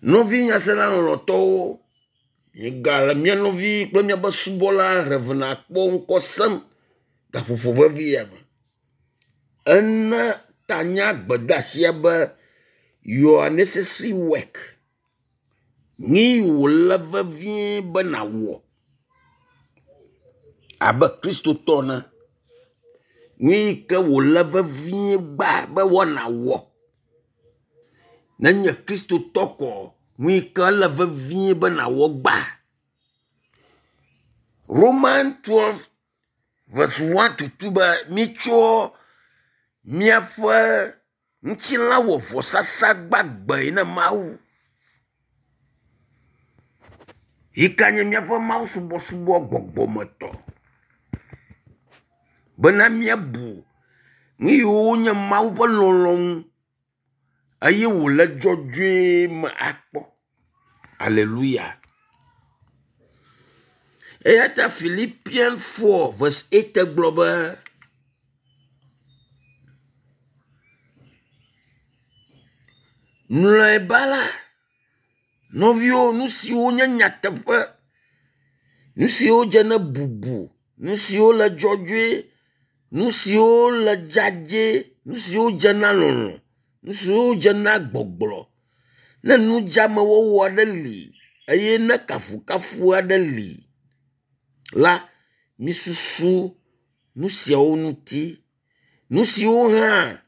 Nɔvi nyasela lɔlɔ̃tɔwo, miegale mía nɔvi kple míaƒe subɔla Rev. Akpo ŋkɔ sem gaƒoƒo vevi ya me. Ena tanya gbedeasia be your necessary work. Nu yi wòle vevie be nàwɔ abe kristotɔ ene. Nu yi ke wòle vevie gbaa be nàwɔ nenye kristotɔ ko nu yi ke le vevie be nàwɔ gbã. Roman 12 verse 1 to 2 be mitsɔ miaƒe ŋutilã wɔ vɔsasa gbagbe na Mawu yi ke nye míaƒe mawusubɔsubɔ gbɔgbɔmetɔ bena míabu nu yiwo nye Mawu ƒe lɔlɔ̃nu eye wòle dzɔdzɔe me akpɔ. Aleluya. Eya ta Philippian 4 verse 8 gblɔ be mlɔeba la, nɔviwo, nu siwo nye nyateƒe, nu siwo dze ne bubu, nu siwo le dzɔdzɔe, nu siwo le dzadzɛ, nu siwo dze na lɔlɔ̃, nu siwo dze na gbɔgblɔ, ne nudzeamewɔwɔ aɖe li eye ne kafukafu aɖe li la, misusu nu siawo ŋuti. Nu siwo hã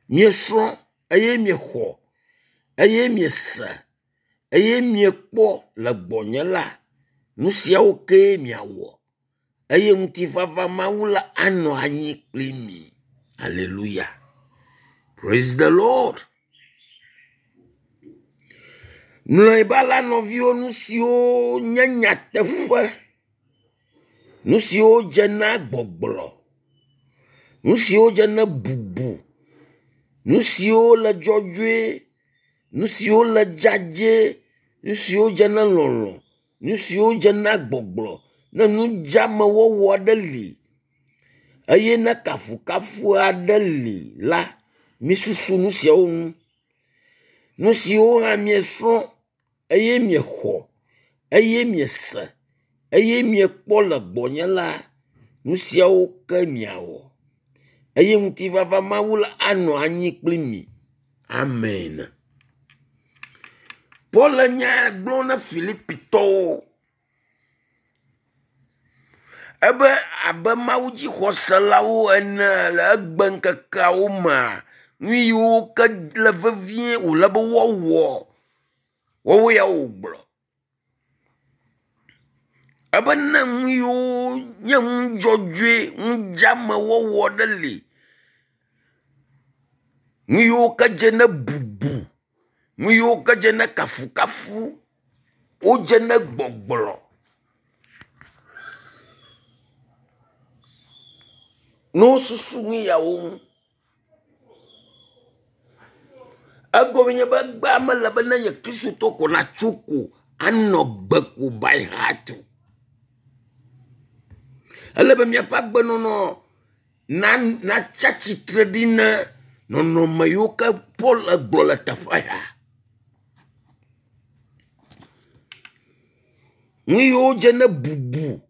miesrɔ̃ eye miexɔ eye miese eye miekpɔ le gbɔnye la, nu siawo kee miawɔ eye ŋutifafa Mawu la anɔ anyi kpli mi. Aleluya. Praise the Lord. Mlɔeba la nɔviwo nu siwo nye nyateƒe, nu siwo dze na gbɔgblɔ, nu siwo dze na bubu, nu siwo le dzɔdzɔe, nu siwo le dzadzɛ, nu siwo dze na lɔlɔ̃, nu siwo dze na gbɔgblɔ, ne nudzeamewɔwɔ aɖe li eye ne kafukafu aɖe li la, misusu nu siawo ŋu. Nu siwo hã miesrɔ̃ eye miexɔ eye miese eye miekpɔ le gbɔnye la, nu siawo ke miawɔ eye ŋutifafa Mawu la anɔ anyi kpli mi. Amen. Paul le nya gblɔm na Filipitɔwo ebe abe mawudzixɔselawo ene le egbe ŋkekeawo mea, nu yiwo ke le vevie wòle be woawɔ, woawo ya wògblɔ. Ebe ne nu yiwo nye nu dzɔdzɔe, nu dzeamewɔwɔ ɖe li, nu yiwo ke dze ne bubu, nu yiwo ke dze ne kafukafu, wodze ne gbɔgblɔ. Ne wosusu nu yawo ŋu. Egɔme nye be egbea mele be nenye kristotɔ ko natso ko anɔ gbe ko by heart o. Ele be míaƒe agbenɔnɔ na natsi atsitre ɖi na nɔnɔme yiwo ke Paul gblɔ le teƒe ya. Nu yiwo dze ne bubu,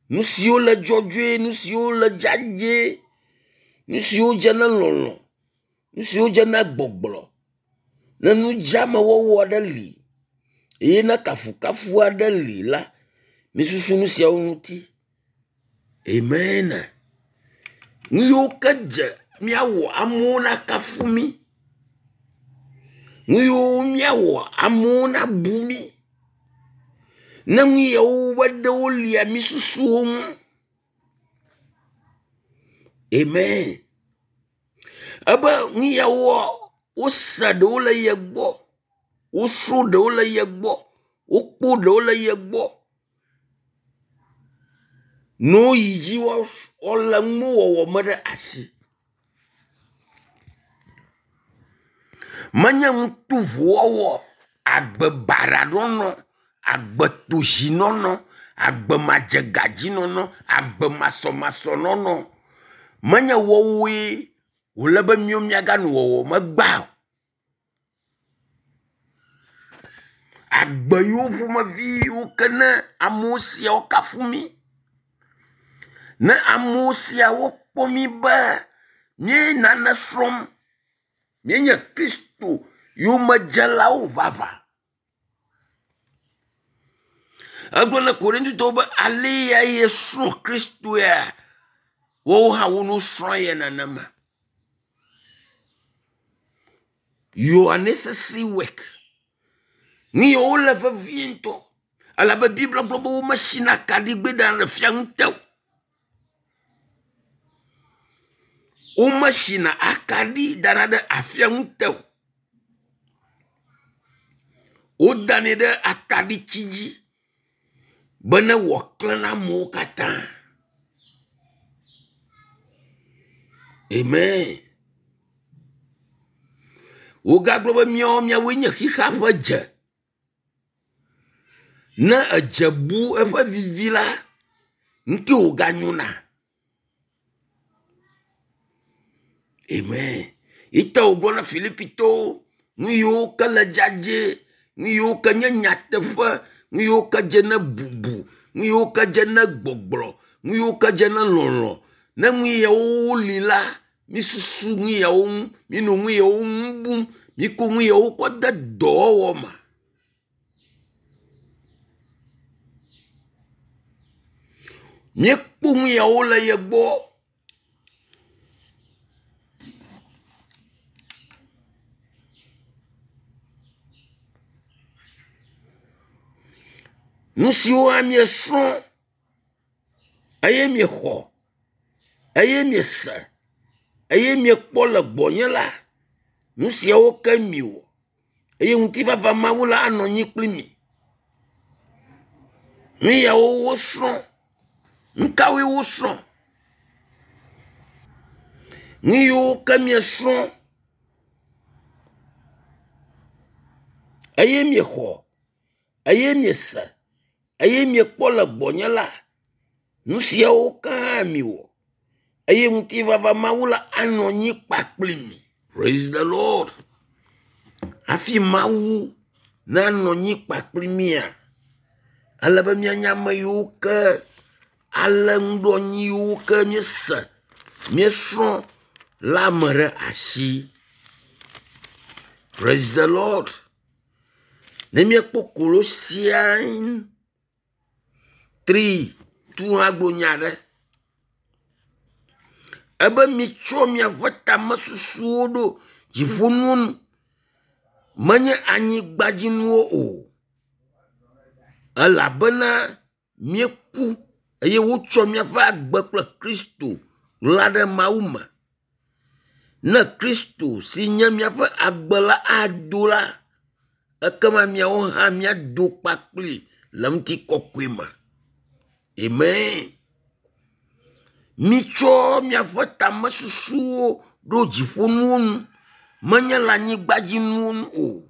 nu siwo le dzɔdzɔe, nu siwo le dzadzɛ, nu siwo dze na lɔlɔ̃, nu siwo dze na gbɔgblɔ, ne nudzeamewɔwɔ aɖe li eye ne kafukafu aɖe li la, misusu nu siawo ŋuti. Amen. Nu yiwo ke dze míawɔ amewo nakafu mí. Nu yiwo míawɔ amewo nabu mí. Ne nu yawo ƒe ɖewo lia, misusu wo ŋu. Amen. Ebe nu yawoa, wose ɖewo le ye gbɔ, wosrɔ̃ ɖewo le ye gbɔ, wokpɔ ɖewo le ye gbɔ. Ne woyi dzi woalé nuwɔwɔ me ɖe asi. Menye nu tovo wɔwɔ, agbe baɖa nɔnɔ, agbe tozinɔnɔ, agbe madzegadzinɔnɔ, agbe masɔmasɔ nɔnɔ. Menye woawoe wòle be míawo míaganɔ wɔwɔm egbea o. agbe yiwo ƒomevi yiwo ke ne amewo siawo kafu mí. Ne amewo siawo kpɔ mí be míe nane srɔ̃m, míenye Kristo yomedzelawo vavã. Egblɔ na Korintotɔwo be ale ya yesrɔ̃ Kristoea, woawo hã wono srɔ̃ ye nenema. Your necessary work. Nu yiwo le vevie ŋutɔ elabe Biblia gblɔ be womesina akaɖigbɛ dana ɖe fia ŋute o. Womesina akaɖi dana ɖe afia ŋute o. Wodanɛ ɖe akaɖiti dzi be ne wòaklẽ na amewo katã. Amen. Wogagblɔ be míawo míawoe nye xixea ƒe dze. Ne edze bu eƒe vivi la, ŋke wòganyona. Amen. Ita wògblɔ na Filipitɔwo nu yiwo ke le dzadzɛ, nu yiwo ke nye nyateƒe, nu yiwo ke dze ne bubu, nu yiwo ke dze ne gbɔgblɔ, nu yiwo ke dze ne lɔlɔ̃. Ne nu yawo li la, misusu nu yawo ŋu, minɔ nu yawo ŋu bum, mikɔ nu yawo kɔ de dɔwɔwɔ me. Míekpɔ nu yawo le ye gbɔ. Nu siwo míesrɔ̃ eye miexɔ eye miese eye miekpɔ le gbɔnye la, nu siawo ke miwɔ eye ŋutifafa Mawu la anɔ anyi kpli mi. Nu yawo wosrɔ̃. Nu kawoe wosrɔ̃? Nu yiwo ke miesrɔ̃ eye miexɔ eye miese eye miekpɔ le gbɔnye la, nu siawo ke hã miwɔ eye ŋutifafa Mawu la anɔ anyi kpakpli mi. Praise the Lord. Hafi Mawu nanɔ anyi kpakpli mía, ele be míanye ame yiwo ke alé nuɖoanyi yiwo ke míese, míesrɔ̃ la me ɖe asi. Praise the Lord. Ne míekpɔ Kolosian 3 tu hã gblɔ nya aɖe. Ebe mitsɔ miaƒe tamesusuwo ɖo dziƒonuwo nu, menye anyigbadzinuwo o. Elabena míeku eye wotsɔ míaƒe agbe kple Kristo ɣla ɖe Mawu me. Ne Kristo si nye míaƒe agbe la ado la, ekema miawo hã míado kpakpli le ŋutikɔkɔe me. Amen. Mitsɔ miaƒe tamesusuwo ɖo dziƒonuwo nu, menye le anyigbadzinuwo nu o.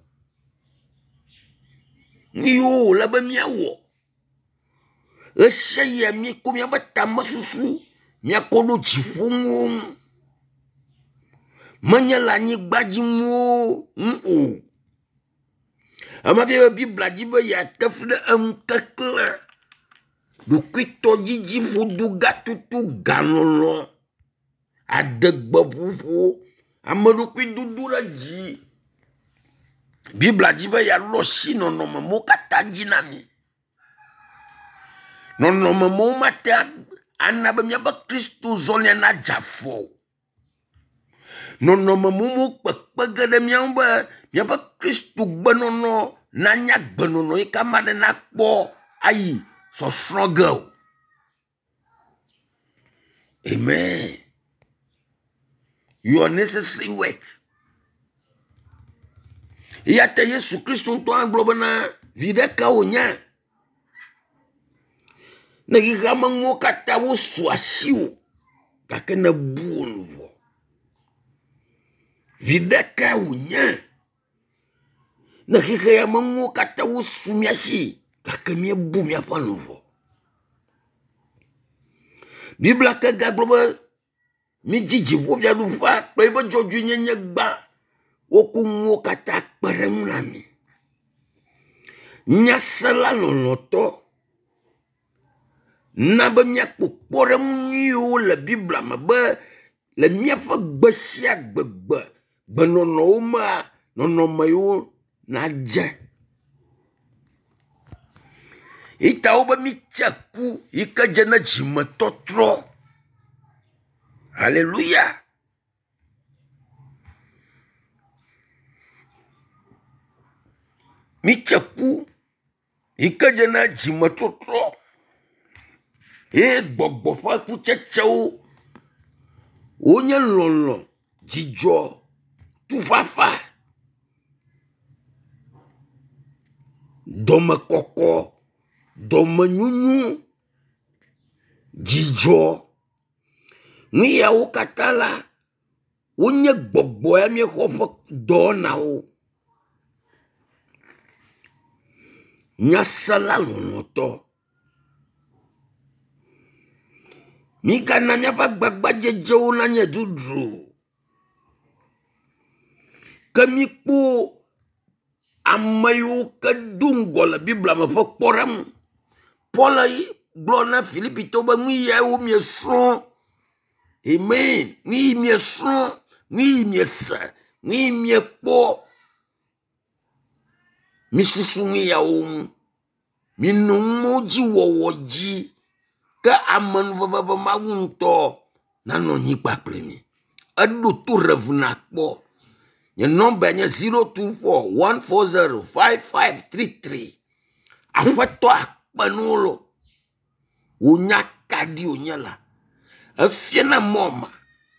Nu yiwo wòle be míawɔ ɣe sia ɣia míekɔ míaƒe tamesusu míakɔ ɖo dziƒonuwo ŋu, menye le anyigbadzinuwo ŋu o. Ema fia be Biblia dzi be yeate fli ɖe eŋukeklẽ, ɖokuitɔdzidzi, ƒodogatoto, galɔlɔ̃, adegbeƒoƒo, ameɖokuidodo ɖe dzi. Biblia dzi be yeaɖo asi nɔnɔme mawo katã dzi na mí. Nɔnɔme mawo mate ana be míaƒe Kristo zɔlia nadze afɔ o. Nɔnɔme mawo kpekpe ge ɖe mía ŋu be míaƒe Kristo gbenɔnɔ nanye agbenɔnɔ yi ke ame aɖe nakpɔ ayi sɔsrɔ̃ ge o. Amen. Your necessary work. Eya ta Yesu Kristo ŋutɔ hã gblɔ bena viɖe ka wònye ne xexea me nuwo katã wosu asiwò gake nèbu wò luʋɔ. Viɖe kae wònye ne xexea me nuwo katã wosu mía si gake míebu míaƒe luʋɔ. Biblia ke gagblɔ be Midzi dziƒofiaɖuƒea kple eƒe dzɔdzɔenyenye gbã. Woku nuwo katã kpe ɖe eŋu na mi. Nyasela lɔlɔ̃tɔ, na be míakpɔ kpɔɖeŋu nyuiwo le Biblia me be le míaƒe gbe sia gbe gbe gbenɔnɔwo mea, nɔnɔme yiwo nadze. Yi ta wobe mitse ku yi ke dze ne dzimetɔtrɔ. Haleluya. Mitse ku yi ke dze na dzimetɔtrɔ ye gbɔgbɔ ƒe kutsetsewo wonye lɔlɔ̃, dzidzɔ, tufafa, dɔmekɔkɔ, dɔmenyonyo, dzidzɔ. Nu yawo katã la, wonye gbɔgbɔ ya míexɔ ƒe dɔwɔnawo. Nyasela lɔlɔ̃tɔ, migana míaƒe agbagbadzedzewo nanye dzodzro o. Ke míkpɔ ame yiwo ke do ŋgɔ le Biblia me ƒe kpɔɖeŋu. Paul gblɔ na Filipitɔwo be nu yawo miesrɔ̃. Amen. Nu yi miesrɔ̃, nu yi miese, nu yi miekpɔ. Misusu nu yawo ŋu. Minɔ nuwo dzi wɔwɔ dzi. Ke amenuveve be Mawu ŋutɔ nanɔ anyi kpakple mi. Eɖo to ɖevi nakpɔ. Nye nɔmba nye 024 140 5533. Aƒetɔ akpe nuwo lo. Wò nya kaɖi wònye la. Efiana mɔ ame,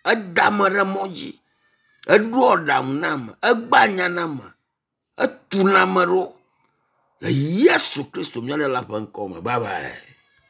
eda ame ɖe mɔ dzi, eɖoa aɖaŋu na ame, egbea nya na ame, etuna ame ɖo le Yesu Kristo mía Ɖela ƒe ŋkɔ me. Bye bye.